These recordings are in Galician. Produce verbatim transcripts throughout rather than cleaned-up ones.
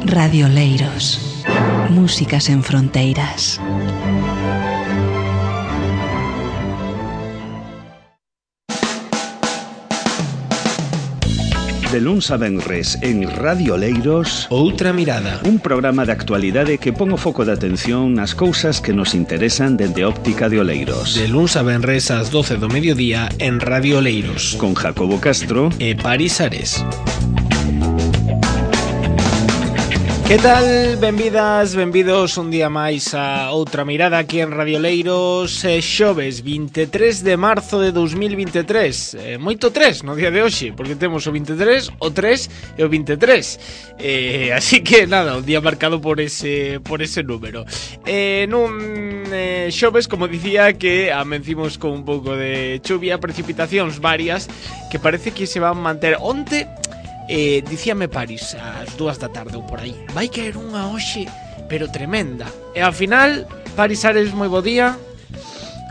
Radio Oleiros. Música sen fronteiras. De luns a venres en Radio Oleiros, Outra Mirada, un programa de actualidade que pon o foco de atención nas cousas que nos interesan dende óptica de Oleiros. de luns a venres ás doce do mediodía en Radio Oleiros, Con Jacobo Castro e Paris Ares. Que tal? Benvidas, benvidos un día máis a Outra Mirada aquí en Radio Oleiros. eh, Xoves vinte e tres de marzo de dos mil vinte e tres, eh, moito tres no día de hoxe, porque temos o vinte e tres, o tres e o vinte e tres, eh, así que nada, un día marcado por ese por ese número. eh, Nun eh, xoves, como dicía, que amencimos con un pouco de chuvia, precipitacións varias que parece que se van manter. Onte Eh, dicíame Paris ás dúas da tarde ou por aí, vai caer unha hoxe pero tremenda, e ao final Paris Ares, moi bo día.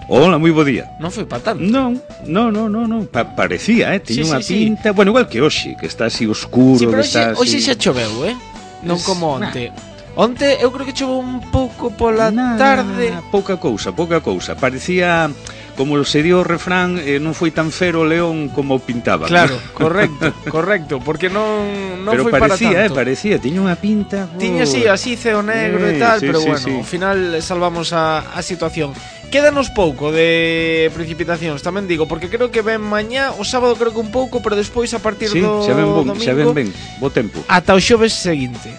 Hola, moi bo día. Non foi pa tanto. Non, non, non, non, non. Pa parecía, eh, tiña Sí, unha sí, sí. pinta, bueno, igual que hoxe, que está así oscuro, Sí, pero que está hoxe, hoxe así. xa choveu, eh? Non Es- como onte. Onte eu creo que choveu un pouco pola Nada, tarde. pouca cousa, pouca cousa. Parecía, como se dio o refrán, eh, non foi tan fero o león como pintaba. Claro, correcto, correcto, porque non non Pero foi para parecía, eh, tanto. parecía, tiña unha pinta. Tiña oh. así, así ceo negro e Eh, tal, sí, pero sí, bueno, sí. ao final salvamos a, a situación. Quédanos pouco de precipitacións, tamén digo, porque creo que ven mañá, o sábado creo que un pouco, pero despois a partir Sí, do xa ven, bon, domingo xa ven ben, bo tempo. ata o xoves seguinte.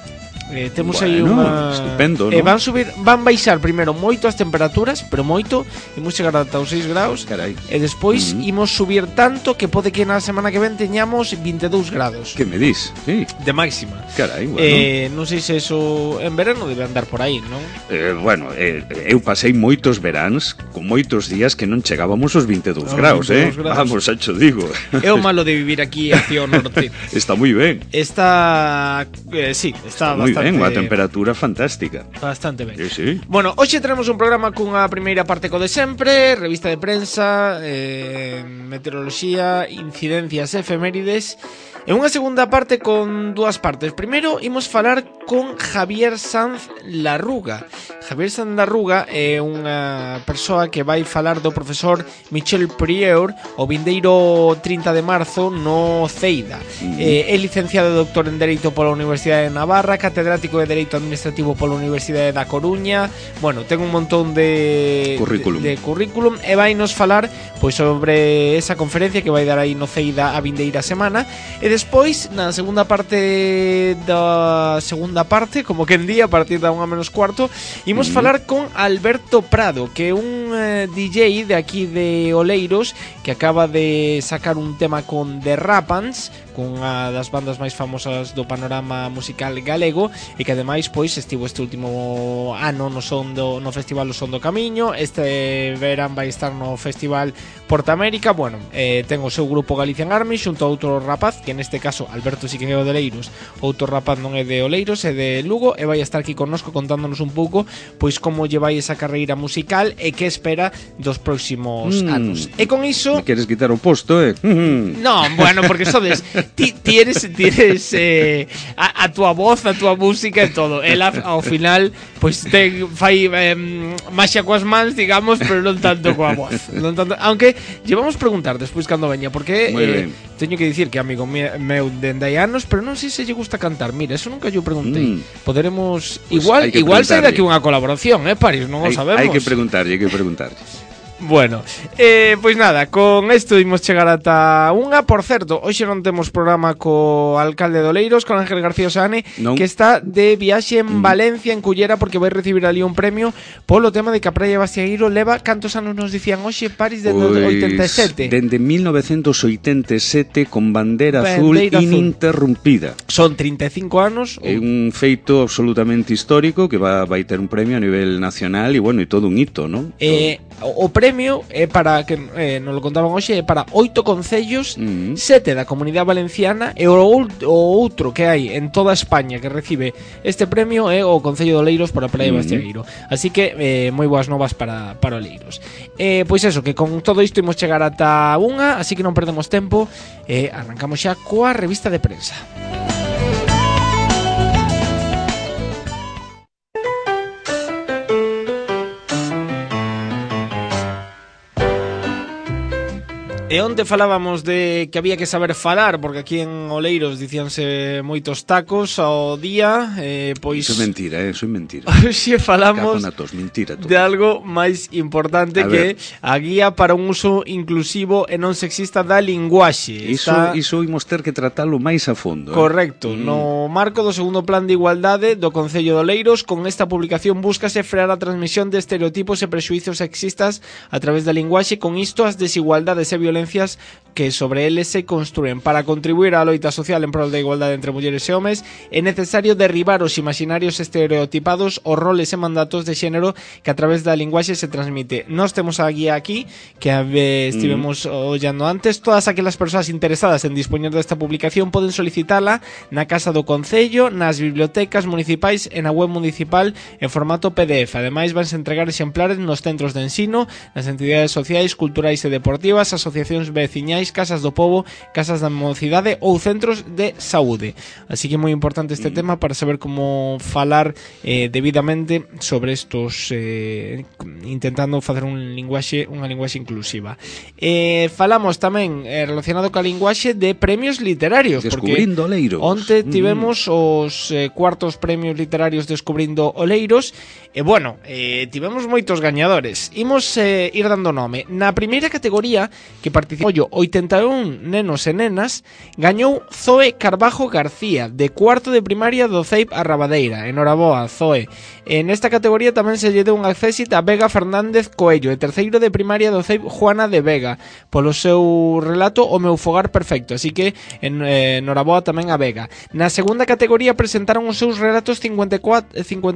Eh, temos aí Bueno, unha estupendo, eh, ¿no? van subir, van baixar primeiro moito as temperaturas, pero moito, imos chegar ata os seis graus. Carai, E despois Mm. imos subir tanto que pode que na semana que ven teñamos vinte e dous grados que me dis? Sí, de máxima. carai, bueno. Eh, non sei se eso en verano debe andar por aí, non? Eh, bueno, eh, eu pasei moitos veráns con moitos días que non chegábamos aos vinte e dous Aos graus, eh? vinte e dous graus. Vamos, xa cho digo. É o malo de vivir aquí hacia o norte. Está moi ben. Está eh, sí, está, Moi bastante ben, unha temperatura fantástica. bastante ben. Sí, sí. Bueno, hoxe tenemos un programa cunha primeira parte co de sempre, revista de prensa, eh, meteoroloxía, incidencias, efemérides, e unha segunda parte con dúas partes. Primeiro, imos falar con Javier Sanz Larruga. Javier Sanz Larruga é unha persoa que vai falar do profesor Michel Prieur o vindeiro trinta de marzo no Ceida. Mm. Eh, é licenciado e doctor en Dereito pola Universidade de Navarra, catedrático de Dereito Administrativo pola Universidade da Coruña. Bueno, ten un montón de Currículum. de, de currículum e vai nos falar pois sobre esa conferencia que vai dar aí no Ceida a vindeira semana. E despois, na segunda parte da segunda parte, como que en día, a partir da unha menos cuarto, imos Mm. falar con Alberto Prado, que é un eh, D J de aquí de Oleiros, que acaba de sacar un tema con The Rapans, cunha das bandas máis famosas do panorama musical galego, e que ademais pois estivo este último ano no son do, no Festival O Son do Camiño. Este verán vai estar no Festival Portamérica. Bueno, eh, ten o seu grupo Galician Army xunto a outro rapaz, que neste caso Alberto sí que é o de Oleiros, outro rapaz non é de Oleiros, é de Lugo, e vai estar aquí connosco contándonos un pouco pois como lle vai esa carreira musical e que espera dos próximos Mm. anos. E con iso Me queres quitar o posto, eh? Mm. no, bueno, porque sodes ti, ti eres, ti eres eh, a, a tua voz, a tua música e todo. Ela ao final pois ten fai eh, maxia coas mans, digamos, pero non tanto coa voz. Non tanto, aunque llevamos preguntar despois cando veña, porque Moi eh, ben. teño que dicir que é amigo me- meu dende hai anos, pero non sei se lle gusta cantar. Mira, eso nunca yo preguntei. Mm. Poderemos Pues igual hai que igual sai preguntarlle. daqui unha colaboración, eh, Paris, non o Hai, sabemos. hai que preguntarlle, hai que preguntarlle. Bueno, eh, pois nada, con isto imos chegar ata unha. Por certo, hoxe non temos programa co alcalde de Oleiros, con Ángel García Oseane, Non. que está de viaxe en Mm. Valencia, en Cullera, porque vai recibir ali un premio polo tema de que a Praia de Bastiagueiro leva, cantos anos nos dicían hoxe, Paris, dende o Pois, oitenta e sete. Dende mil novecentos oitenta e sete con bandeira azul Bandeira azul. ininterrumpida. Son trinta e cinco anos. É un feito absolutamente histórico que va, vai ter un premio a nivel nacional e, bueno, e todo un hito, non? Eh, o premio é para, que eh, nos lo contaban hoxe, é para oito concellos, Mm. sete da Comunidade Valenciana, e o, ult- o outro que hai en toda España que recibe este premio é o Concello de Oleiros por a Praia de Mm. Bastiagueiro. Así que eh, moi boas novas para, para Oleiros. Eh, pois eso, que con todo isto imos chegar ata unha, así que non perdemos tempo, e eh, arrancamos xa coa revista de prensa. E onte falábamos de que había que saber falar, porque aquí en Oleiros dicíanse moitos tacos ao día, eh, pois... Iso é mentira, eh? Iso é mentira. Hoxe falamos tos, mentira, de algo máis importante a que ver. A guía para un uso inclusivo e non sexista da linguaxe. Iso, Está... iso imos ter que tratalo máis a fondo. Correcto. Eh? No marco do segundo plan de igualdade do Concello de Oleiros, con esta publicación búscase frear a transmisión de estereotipos e prexuizos sexistas a través da linguaxe, con isto as desigualdades e violencias que sobre eles se construen. Para contribuir á loita social en prol da igualdade entre mulleres e homes é necesario derribar os imaginarios estereotipados, os roles e mandatos de xénero que a través da linguaxe se transmite. Nós temos a guía aquí que eh, estivemos mm. ollando antes. Todas aquelas persoas interesadas en dispoñer desta publicación poden solicitala na Casa do Concello, nas bibliotecas municipais e na web municipal en formato P D F. Ademais, vanse entregar exemplares nos centros de ensino, nas entidades sociais, culturais e deportivas, asociacións veciñais, casas do pobo, casas da mocidade ou centros de saúde. Así que é moi importante este mm. tema para saber como falar eh, debidamente sobre estos, eh, intentando facer un linguaxe, unha linguaxe inclusiva. Eh, falamos tamén eh, relacionado ca linguaxe de premios literarios, Descubrindo Oleiros. Onte tivemos mm. os eh, cuartos premios literarios Descubrindo Oleiros e bueno, eh, tivemos moitos gañadores. Imos eh, ir dando nome. Na primeira categoría que participou oitenta e un nenos e nenas, gañou Zoe Carbajo García, de cuarto de primaria do C E I P Arrabadeira. Enhoraboa, Zoe. En esta categoría tamén se lle deu un accésit a Vega Fernández Coello, e terceiro de primaria do C E I P Juana de Vega, polo seu relato O meu fogar perfecto. Así que en, eh, enhoraboa tamén a Vega. Na segunda categoría presentaron os seus relatos cincuenta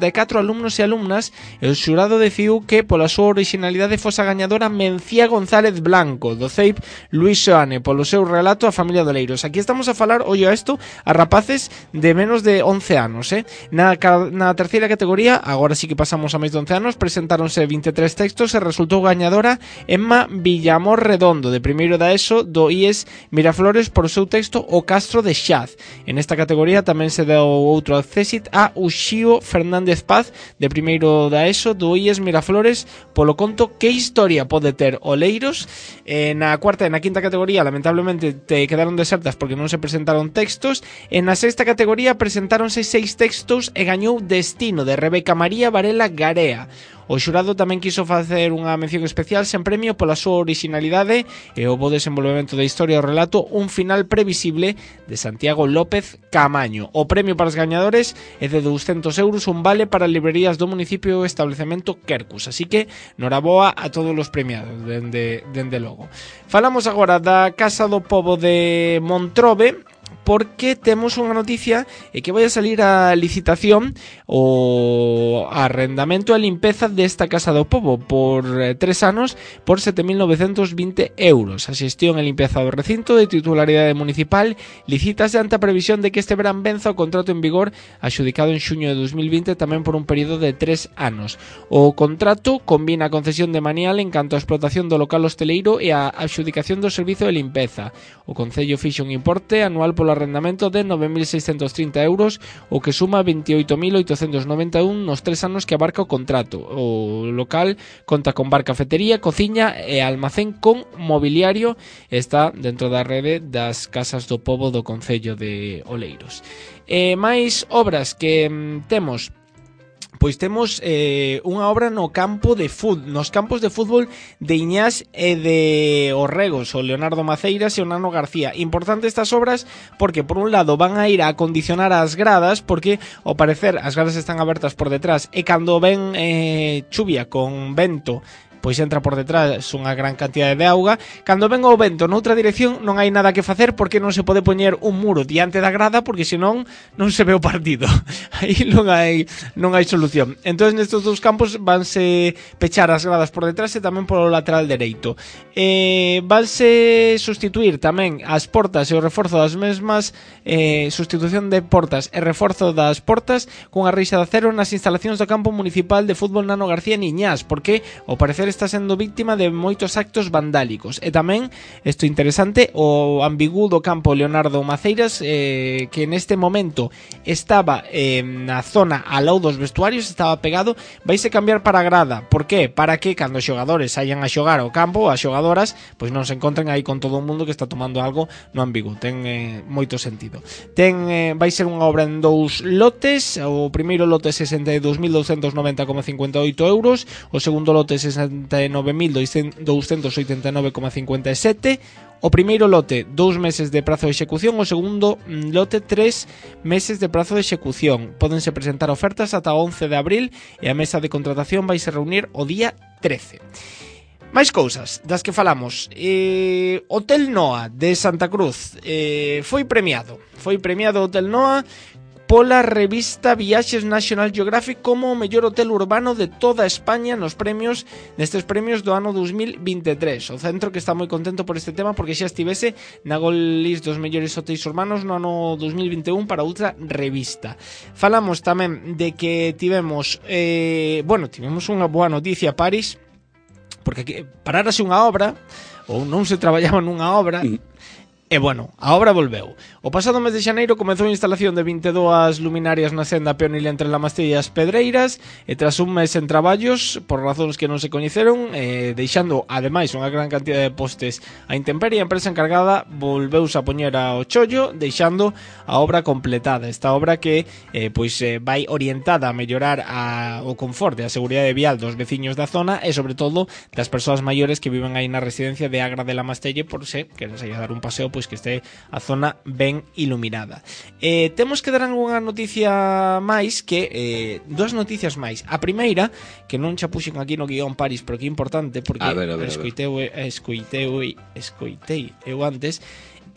e catro alumnos e alumnas, e o xurado decidiu que pola súa originalidade fosa gañadora Mencía González Blanco, do C E I P Luís Xoane, polo seu relato A familia de Oleiros. Aquí estamos a falar, ollo a isto, a rapaces de menos de once anos, eh? Na, na terceira categoría, agora sí que pasamos a máis de once anos, presentáronse vinte e tres textos e resultou gañadora Emma Villamor Redondo, de primeiro da ESO do I E S Miraflores, por o seu texto O Castro de Xaz. En esta categoría tamén se deu outro accésit a Uxío Fernández Paz, de primeiro da ESO do I E S Miraflores, polo conto Que historia pode ter Oleiros. Eh, na cuarta e na quinta categoría lamentablemente te quedaron desertas porque non se presentaron textos. En a sexta categoría presentáronse seis textos e gañou Destino, de Rebeca María Varela Garea. O xurado tamén quiso facer unha mención especial sen premio pola súa originalidade e o bo desenvolvemento da historia o relato Un final previsible, de Santiago López Camaño. O premio para os gañadores é de douscentos euros, un vale para librerías do municipio e establecemento Quercus. Así que, noraboa a todos os premiados, dende, dende logo. Falamos agora da Casa do Pobo de Montrobe, porque temos unha noticia e que vai a salir a licitación o arrendamento e limpeza desta Casa do Pobo por eh, tres anos por sete mil novecentos vinte euros. A xestión e limpeza do recinto, de titularidade municipal, licítase ante a previsión de que este verán venza o contrato en vigor axudicado en xuño de dos mil vinte, tamén por un período de tres anos. O contrato combina a concesión de manial en canto a explotación do local hosteleiro e a axudicación do servizo de limpeza. O Concello fixa un importe anual polo arrendamento de nove mil seiscentos trinta euros, o que suma veintioito mil oitocentos noventa e un nos tres anos que abarca o contrato. O local conta con bar, cafetería, cociña e almacén con mobiliario. Está dentro da rede das Casas do Pobo do Concello de Oleiros. E máis obras que mm, temos... Pois temos eh, unha obra no campo de fut, nos campos de fútbol de Iñás e de Orregos, o Leonardo Maceiras e o Nano García. Importante estas obras porque, por un lado, van a ir a acondicionar as gradas, porque, ao parecer, as gradas están abertas por detrás e cando ven eh, chuvia con vento, pois entra por detrás unha gran cantidade de auga. Cando ven o vento noutra dirección non hai nada que facer, porque non se pode poñer un muro diante da grada, porque senón non se ve o partido. Aí non hai non hai solución. Entón nestes dous campos vanse pechar as gradas por detrás e tamén polo lateral dereito. Eh, vanse sustituir tamén as portas e o reforzo das mesmas, eh, sustitución de portas e reforzo das portas cunha reixa de acero nas instalacións do campo municipal de fútbol Nano García Niñás, porque ao parecer hotel está sendo víctima de moitos actos vandálicos. E tamén, isto interesante, o ambigú do campo Leonardo Maceiras, eh, que neste momento estaba eh, na zona ao lado dos vestuarios, estaba pegado, vaise cambiar para a grada. Por qué? Para que cando os xogadores saían a xogar ao campo, as xogadoras, pois non se encontren aí con todo o mundo que está tomando algo no ambigú. Ten eh, moito sentido. Ten, eh, vai ser unha obra en dous lotes. O primeiro lote sesenta e dous mil douscentos noventa coma cincuenta e oito euros, o segundo lote sesenta e nove mil douscentos oitenta e nove coma cincuenta e sete. O primeiro lote, dous meses de prazo de execución. O segundo lote, tres meses de prazo de execución. Pódense presentar ofertas ata o once de abril e a mesa de contratación vai se reunir o día trece. Máis cousas das que falamos. eh, Hotel Noa de Santa Cruz eh, foi premiado Foi premiado Hotel Noa pola revista Viaxes National Geographic como o mellor hotel urbano de toda España nos premios, nestes premios do ano dos mil veintitrés. O centro que está moi contento por este tema porque xa estivese na Gold List dos mellores hotéis urbanos no ano dos mil vinte e un para outra revista. Falamos tamén de que tivemos eh, bueno, tivemos unha boa noticia, Paris, porque aquí parárase unha obra ou non se traballaba nunha obra. E bueno, a obra volveu. O pasado mes de xaneiro comezou a instalación de vinte e dúas luminarias na senda peonil entre Lamastella e as Pedreiras, e tras un mes en traballos, por razóns que non se coñeceron, eh, deixando ademais unha gran cantidad de postes a intemperie, a empresa encargada volveuse a poñer ao chollo, deixando a obra completada. Esta obra que eh, pois eh, vai orientada a mellorar a, o confort e a seguridade vial dos veciños da zona e sobre todo das persoas maiores que viven aí na residencia de Agra de Lamastelle, por se queren sair a dar un paseo, pois que este a zona ben iluminada. Eh, temos que dar unha noticia máis que eh, dúas noticias máis. A primeira, que non xa puxen aquí no guión, Paris, pero que é importante porque a ver, a ver, escoitei, escoitei, escoitei eu antes,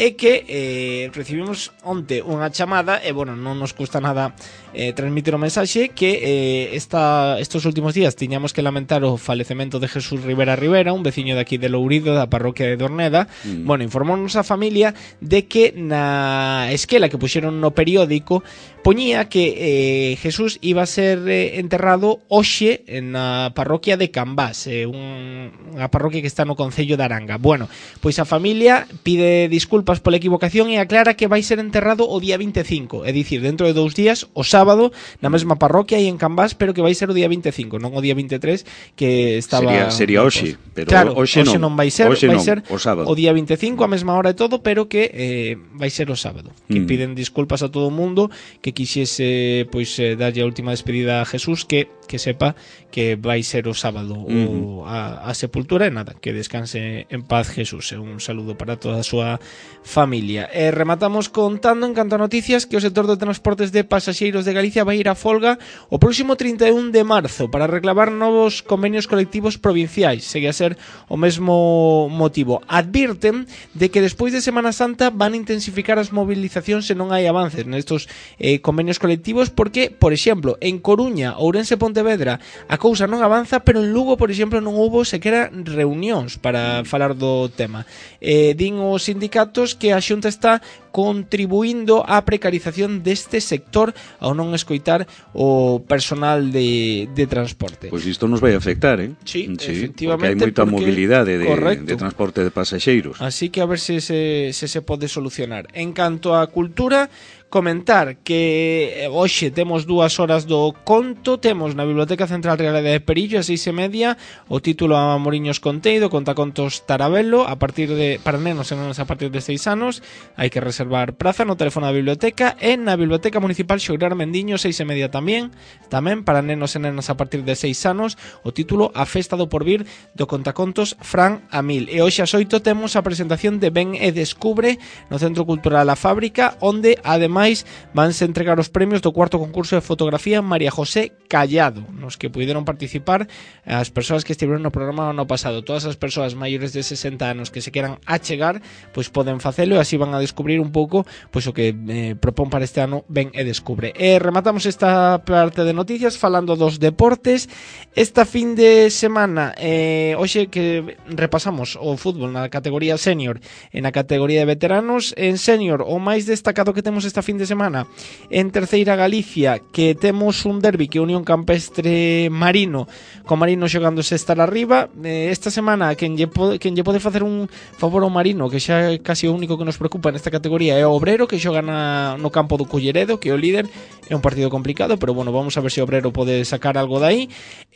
é que eh, recibimos onte unha chamada e, bueno, non nos custa nada eh, transmitir o mensaxe que eh, esta, estos últimos días tiñamos que lamentar o falecemento de Jesús Rivera Rivera, un veciño de aquí de Lourido, da parroquia de Dorneda. Mm. Bueno, informounos a familia de que na esquela que puxeron no periódico poñía que eh, Jesús iba a ser eh, enterrado hoxe na parroquia de Cambás, eh, un, unha parroquia que está no concello de Aranga. Bueno, pois a familia pide disculpas pola equivocación e aclara que vai ser enterrado o día vinte e cinco, é dicir, dentro de dous días, o sábado, na mesma parroquia e en Cambás, pero que vai ser o día vinte e cinco, non o día vinte e tres que estaba... Sería, sería hoxe, pero claro, hoxe non, non vai ser, hoxe vai non, ser o sábado. O día vinte e cinco, a mesma hora e todo, pero que eh, vai ser o sábado. Que mm. piden disculpas a todo o mundo, que quixese pois eh, darlle a última despedida a Jesús, que que sepa que vai ser o sábado mm. o, a, a sepultura, e nada, que descanse en paz Jesús. E un saludo para toda a súa familia. E rematamos contando en canto a noticias que o sector de transportes de pasaxeiros de Galicia vai ir a folga o próximo trinta e un de marzo para reclamar novos convenios colectivos provinciais. Segue a ser o mesmo motivo. Advirten de que despois de Semana Santa van a intensificar as movilizacións se non hai avances nestos eh, convenios colectivos, porque, por exemplo, en Coruña, Ourense e Pontevedra a cousa non avanza, pero en Lugo, por exemplo, non houbo sequera reunións para falar do tema. Eh, din os sindicatos que a Xunta está contribuindo á precarización deste sector ao non escoitar o personal de, de transporte. Pois isto nos vai afectar, eh? Sí, sí, efectivamente. Porque hai moita porque, mobilidade de, de transporte de pasaxeiros. Así que a ver se se, se se pode solucionar. En canto á cultura, comentar que hoxe temos dúas horas do conto. Temos na Biblioteca Central Real de Perillo a seis e media o título a Moriños Conteido, Contacontos Tarabelo, a partir de para nenos e nenas a partir de seis anos. Hai que reservar praza no teléfono da biblioteca, e na Biblioteca Municipal Xograr Mendiño seis e media tamén, tamén para nenos e nenas a partir de seis anos, o título A Festa do Porvir do Contacontos Fran Amil. E hoxe ás oito temos a presentación de Ven e Descubre no Centro Cultural A Fábrica, onde ademais vanse entregar os premios do cuarto concurso de fotografía María José Callado, nos que puideron participar as persoas que estiveron no programa ano pasado. Todas as persoas maiores de sesenta anos que se queran achegar, pois poden facelo, e así van a descubrir un pouco pois o que eh, propón para este ano Ven e Descubre. E rematamos esta parte de noticias falando dos deportes. Esta fin de semana eh, hoxe que repasamos o fútbol na categoría senior e na categoría de veteranos. En senior, o máis destacado que temos esta fin fin de semana en Terceira Galicia, que temos un derbi que Unión Campestre Marino, con Marino xogándose estar arriba. Eh, esta semana quen lle, pode, quen lle pode facer un favor ao Marino, que xa é casi o único que nos preocupa nesta categoría, é o Obrero, que xoga na, no campo do Culleredo, que é o líder. É un partido complicado, pero bueno, vamos a ver se o Obrero pode sacar algo de aí.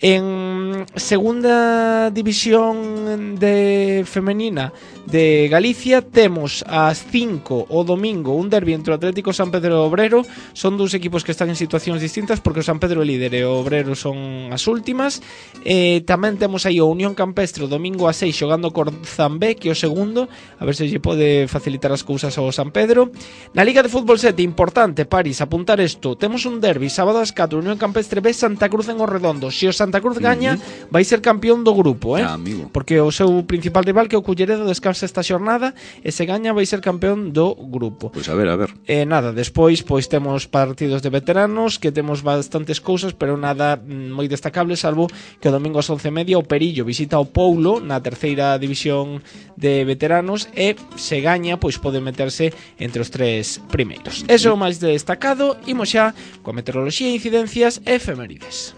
En segunda división de femenina de Galicia temos ás cinco o domingo un derbi entre o Atlético San Pedro e o Obrero. Son dous equipos que están en situacións distintas, porque o San Pedro é líder e o Obrero son as últimas. Eh, tamén temos aí o Unión Campestre o domingo a seis xogando con Zambé, que é o segundo, a ver se lle pode facilitar as cousas ao San Pedro. Na Liga de Fútbol sete, importante, Paris, apuntar isto, temos un derbi sábado ás catro, Unión Campestre B, Santa Cruz en Orredondo. Se o Santa Cruz gaña, uh-huh, vai ser campeón do grupo, eh? Ah, amigo. Porque o seu principal rival, que é o Culleredo, descansa esta xornada, e se gaña vai ser campeón do grupo. Pois a ver, a ver. E eh, nada, despois pois temos partidos de veteranos, que temos bastantes cousas, pero nada moi destacable, salvo que o domingo ás once e media o Perillo visita o Poulo na terceira división de veteranos, e se gaña, pois pode meterse entre os tres primeiros. Eso é o máis destacado. Imos xa coa meteoroloxía, incidencias e efemérides.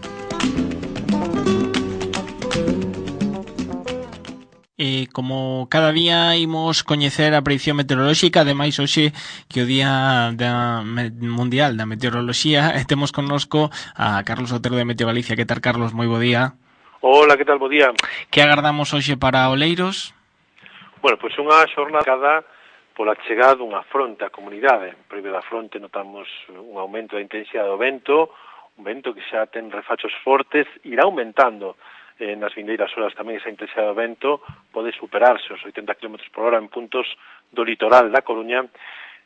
E como cada día imos coñecer a predicción meteorolóxica, ademais hoxe que o Día da Mundial da Meteoroloxía, e temos connosco a Carlos Otero de Meteo Galicia. Que tal, Carlos? Moi bo día. Hola, que tal? Bo día. Que agardamos hoxe para Oleiros? Bueno, pois unha xornada pola chegada dunha fronte á comunidade. Previo da fronte notamos un aumento da intensidade do vento, un vento que xa ten refachos fortes, irá aumentando eh, nas vindeiras horas tamén esa intensidade do vento, pode superarse os oitenta kilómetros por hora en puntos do litoral da Coruña.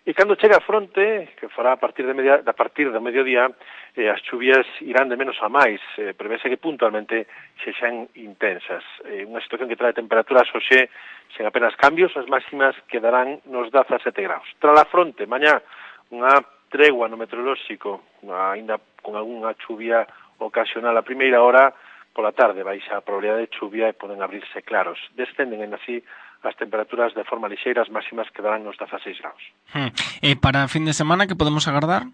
E cando chega a fronte, que fará a partir de media, a partir do mediodía, eh, as chuvias irán de menos a máis, eh, prevese que puntualmente se xan intensas. Eh, unha situación que trae temperaturas hoxe sen apenas cambios, as máximas quedarán nos dezasete graus. Tras a fronte, mañá, unha tregua no meteorolóxico, ainda con algunha chuvia ocasional a primeira hora, pola tarde baixa a probabilidade de chuvia e poden abrirse claros. Descenden en así as temperaturas de forma lixeira, as máximas quedarán nos dezaseis graus. Hmm. E para fin de semana, que podemos agardar?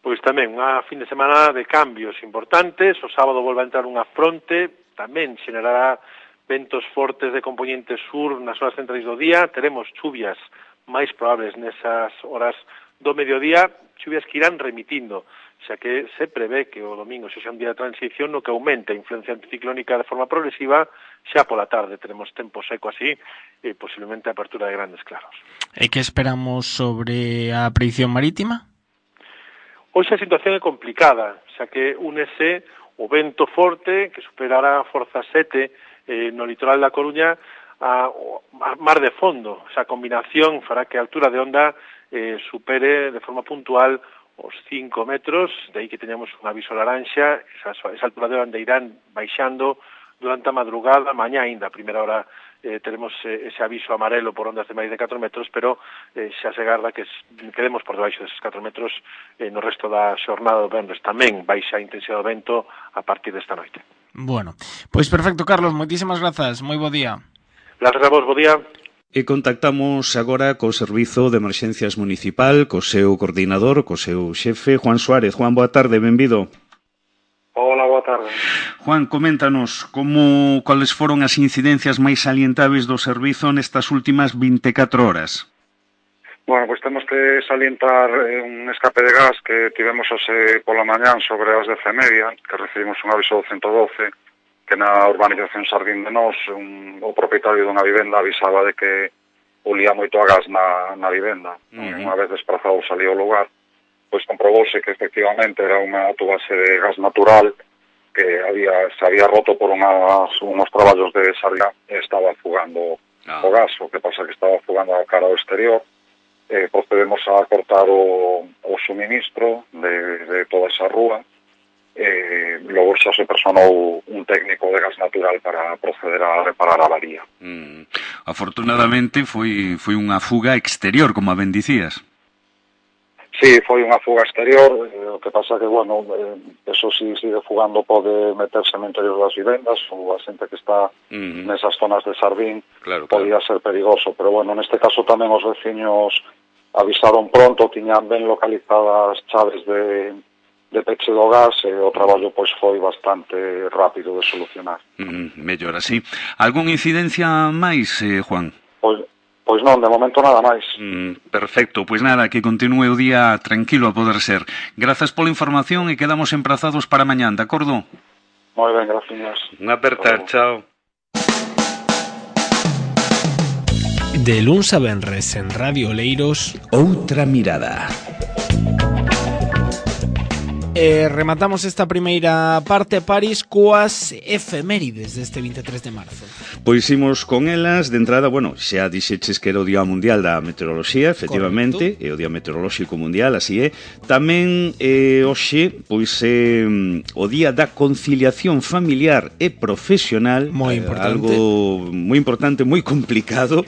Pois tamén, unha fin de semana de cambios importantes. O sábado volve a entrar unha fronte, tamén xerará ventos fortes de componente sur nas horas centrais do día. Teremos chuvias máis probables nesas horas do mediodía, chuvias que irán remitindo, xa que se prevé que o domingo sexa un día de transición no que aumente a influencia anticiclónica de forma progresiva. Xa pola tarde teremos tempo seco así e posiblemente a apertura de grandes claros. E que esperamos sobre a predicción marítima? Hoxe a situación é complicada, xa que únese o vento forte que superará a forza sete eh, no litoral da Coruña a, a mar de fondo. Esa combinación fará que a altura de onda eh, supere de forma puntual os cinco metros, de aí que teñamos un aviso laranxa. Esa, esa altura de onda irán baixando durante a madrugada, mañá ainda, a primeira hora eh, teremos eh, ese aviso amarelo por ondas de máis de catro metros, pero eh, xa se agarda que quedemos por debaixo deses catro metros eh, no resto da xornada do venres. Tamén baixa a intensidade do vento a partir desta noite. Bueno, pois perfecto, Carlos, moitísimas grazas, moi bo día. Grazas a vos, bo día. E contactamos agora co Servizo de Emerxencias Municipal, co seu coordinador, co seu xefe, Juan Suárez. Juan, boa tarde, benvido. Hola, boa tarde. Juan, coméntanos como cuáles foron as incidencias máis salientables do servizo nestas últimas vinte e catro horas. Bueno, pois pues temos que salientar un escape de gas que tivemos hoxe pola mañán sobre as dez e media, que recibimos un aviso do ciento doce, que na urbanización Sardín de Nós, un, o propietario dunha vivenda avisaba de que olía moito a gas na, na vivenda. Uh-huh. Unha vez desplazado salió ao lugar, pois comprobouse que efectivamente era unha tubase de gas natural que había, se había roto por unas, unos traballos de salida e estaba fugando ah. o gas, o que pasa que estaba fugando a cara ao exterior. Eh, procedemos a cortar o, o suministro de, de toda esa rúa. Eh, logo xa se personou un técnico de gas natural para proceder a reparar a avaría. Mm. Afortunadamente foi, foi unha fuga exterior, como a ben dicías. Sí, foi unha fuga exterior, eh, o que pasa que, bueno, eh, eso si sigue fugando pode meterse no interior das vivendas, ou a xente que está uh-huh. nesas zonas de Sardín, claro, podía claro. ser perigoso, pero bueno, neste caso tamén os veciños avisaron pronto, tiñan ben localizadas chaves de, de peche do gas e o traballo pois foi bastante rápido de solucionar. Mm, mellor así. Algún incidencia máis, eh, Juan? Pois, pois non, de momento nada máis. Mm, perfecto, pois nada, que continúe o día tranquilo a poder ser. Grazas pola información e quedamos emprazados para mañán, de acordo? Moi ben, gracias. Un apertar, chao. De luns a venres en Radio Oleiros, Outra mirada. E rematamos esta primeira parte, Paris, coas efemérides deste veintitrés de marzo. Pois imos con elas, de entrada, bueno, xa dixeches que era o Día Mundial da Meteoroloxía, efectivamente, é o Día Meteorolóxico Mundial, así é. Tamén, eh, hoxe, pois é eh, o Día da Conciliación Familiar e Profesional, moi importante. Eh, algo moi importante, moi complicado.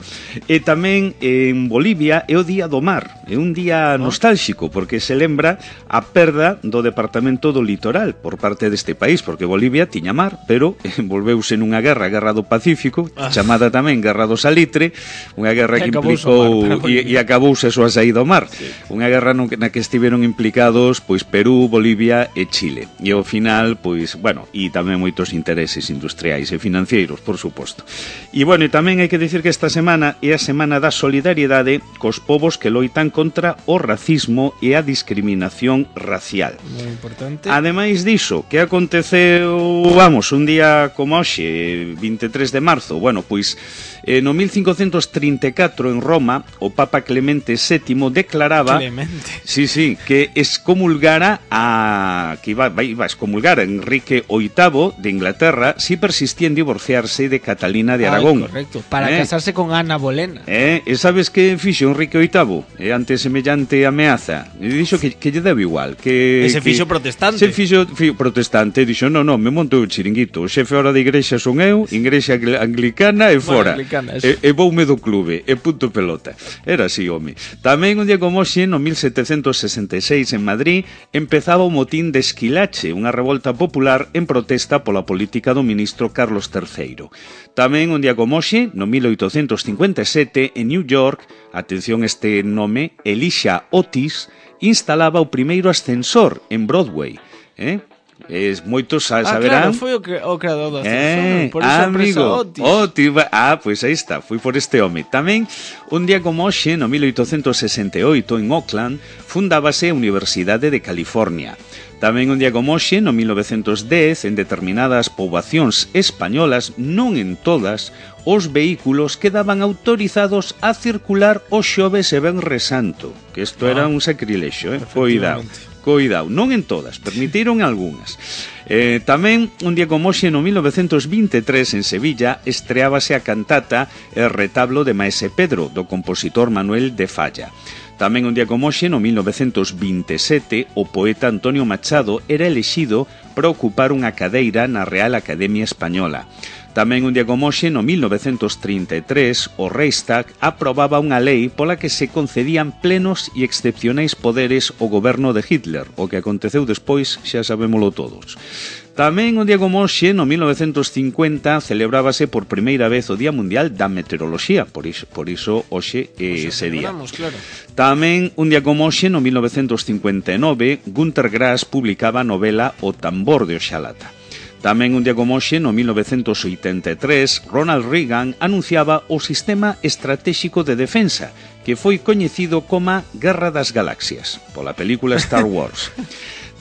E tamén, eh, en Bolivia, é o Día do Mar, é un día ¿no? nostálxico, porque se lembra a perda do Departamento do Litoral por parte deste país, porque Bolivia tiña mar, pero envolveuse nunha guerra, a Guerra do Pacífico, ah. chamada tamén Guerra do Salitre, unha guerra que implicou e, e acabouse a súa saída ao mar, sí. Unha guerra no, na que estiveron implicados pois Perú, Bolivia e Chile, e ao final, pois, bueno, e tamén moitos intereses industriais e financeiros, por suposto. E bueno, e tamén hai que dicir que esta semana é a semana da solidariedade cos povos que loitan contra o racismo e a discriminación racial. Moi importante. Ademais diso, que aconteceu, vamos, un día como hoxe, veintitrés de marzo, bueno, pois eh, no mil cincocentos trinta e catro en Roma, o Papa Clemente sétimo declaraba Clemente. Sí, sí, que excomulgara a que iba, iba a excomulgar a Enrique oitavo de Inglaterra si persistía en divorciarse de Catalina de Aragón. Ay, correcto, para eh? casarse con Ana Bolena. Eh, e sabes que fixo Enrique oitavo? Eh, ante semellante ameaza, e dixo que, que lle debe igual, que Ese que, fixo protestante. Se fixo fi, protestante, dixo, no, no, me monto o chiringuito, o xefe hora de igrexa son eu, igrexa anglicana e fora. Bueno, anglicana, e, e voume do clube, e punto pelota. Era así, home. Tamén un día como hoxe, no mil setecentos sesenta e seis en Madrid, empezaba o motín de Esquilache, unha revolta popular en protesta pola política do ministro Carlos terceiro. Tamén un día como hoxe, no mil oitocentos cincuenta e sete, en New York, atención este nome, Elisha Otis, instalaba o primeiro ascensor en Broadway, eh? Es moitos saberán. Ah, claro, foi o, cre o creador do ascensor, eh, por iso amigo, Otis. Otis. Ah, pois pues aí está, foi por este home. Tamén, un día como hoxe, no mil oitocentos sesenta e oito, en Oakland, fundábase a Universidade de California. Tamén un día como hoxe, no mil novecentos dez, en determinadas poboacións españolas, non en todas, os vehículos quedaban autorizados a circular os xoves e venres santo, que isto ah, era un sacrilexo, eh? Cuidado. Coidado, non en todas, permitiron algunhas. Eh, tamén, un día como hoxe, no mil novecentos veintitrés, en Sevilla, estreábase a cantata El retablo de Maese Pedro, do compositor Manuel de Falla. Tamén un día como hoxe, no mil novecentos veintisiete, o poeta Antonio Machado era elexido para ocupar unha cadeira na Real Academia Española. Tamén un día como hoxe, no mil novecentos trinta e tres, o Reichstag aprobaba unha lei pola que se concedían plenos e excepcionais poderes ao goberno de Hitler, o que aconteceu despois xa sabémolo todos. Tamén un día como hoxe, no mil novecentos cincuenta, celebrábase por primeira vez o Día Mundial da Meteoroloxía, por iso, por iso hoxe é ese día. Claro. Tamén un día como hoxe, no mil novecentos cincuenta e nove, Günter Grass publicaba a novela O tambor de Oxalata. Tamén un día como hoxe, no mil novecentos oitenta e tres, Ronald Reagan anunciaba o Sistema Estratéxico de Defensa, que foi coñecido como Guerra das Galaxias, pola película Star Wars.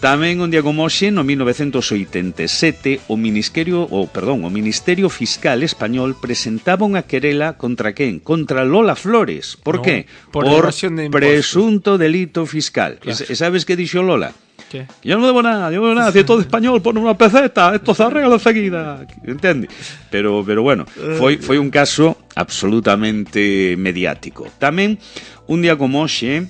Tamén un día como hoxe, no mil novecentos oitenta e sete, o Ministerio, o, perdón, o Ministerio Fiscal Español presentaba unha querela contra quen? Contra Lola Flores. Por no, qué? Por, por de presunto delito fiscal. Claro. E sabes que dixo Lola? ¿Qué? Yo no debo nada, yo no debo nada, si todo español pone una peseta, esto se arregla enseguida, ¿entiendes? Pero, pero bueno, foi, foi un caso absolutamente mediático. Tamén, un día como hoxe,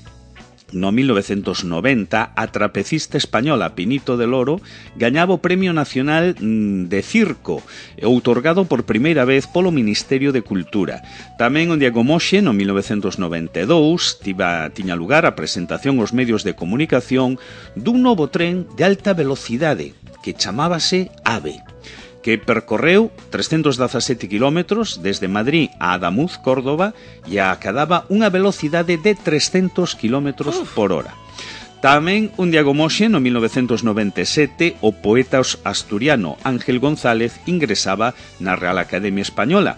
no mil novecentos noventa, a trapecista española Pinito del Oro gañaba o Premio Nacional de Circo, outorgado por primeira vez polo Ministerio de Cultura. Tamén un día como hoxe, no mil novecentos noventa e dous, tiba, tiña lugar a presentación aos medios de comunicación dun novo tren de alta velocidade que chamábase AVE, que percorreu trescentos dezasete kilómetros desde Madrid a Adamuz, Córdoba, e acadaba unha velocidade de trescentos kilómetros por hora. Tamén un día como hoxe, no mil novecentos noventa e sete, o poeta asturiano Ángel González ingresaba na Real Academia Española,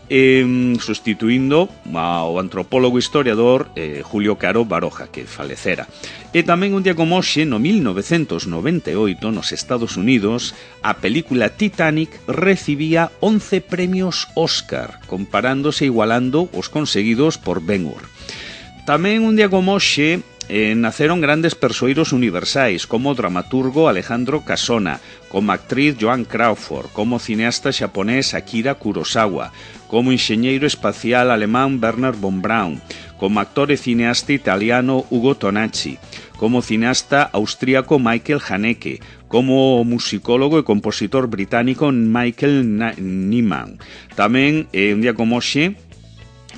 eh, sustituindo ao antropólogo historiador eh, Julio Caro Baroja, que falecera. E tamén un día como hoxe, no mil novecentos noventa e oito, nos Estados Unidos, a película Titanic recibía once premios Óscar, comparándose e igualando os conseguidos por Ben-Hur. Tamén un día como hoxe, Eh, naceron grandes persoeiros universais, como o dramaturgo Alejandro Casona, como actriz Joan Crawford, como cineasta xaponés Akira Kurosawa, como enxeñeiro espacial alemán Wernher von Braun, como actor e cineasta italiano Ugo Tonacci, como cineasta austríaco Michael Haneke, como musicólogo e compositor británico Michael Nyman. Tamén, eh, un día como hoxe,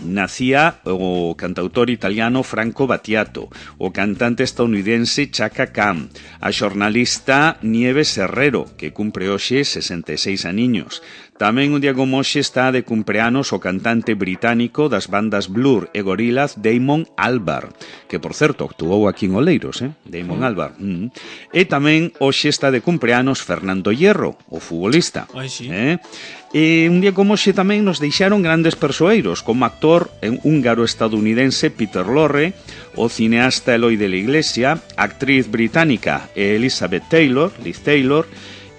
nacía o cantautor italiano Franco Battiato, o cantante estadounidense Chaka Khan, a xornalista Nieves Herrero, que cumpre hoxe sesenta e seis aniños. Tamén un día como hoxe está de cumpleanos o cantante británico das bandas Blur e Gorillaz Damon Albarn, que, por certo, actuou aquí en Oleiros, eh? Damon Albarn. Mm. E tamén hoxe está de cumpleanos Fernando Hierro, o futbolista. Ai, sí. Eh? E un día como hoxe tamén nos deixaron grandes persoeiros, como actor húngaro-estadounidense Peter Lorre, o cineasta Eloy de la Iglesia, actriz británica Elizabeth Taylor, Liz Taylor,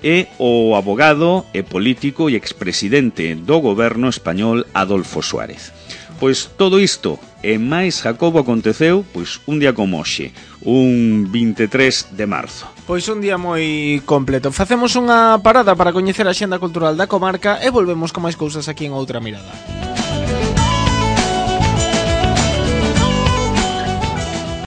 e o abogado e político e expresidente do goberno español Adolfo Suárez. Pois todo isto e máis, Jacobo, aconteceu pois un día como hoxe, un vinte e tres de marzo. Pois un día moi completo. Facemos unha parada para coñecer a xenda cultural da comarca e volvemos con máis cousas aquí en Outra Mirada.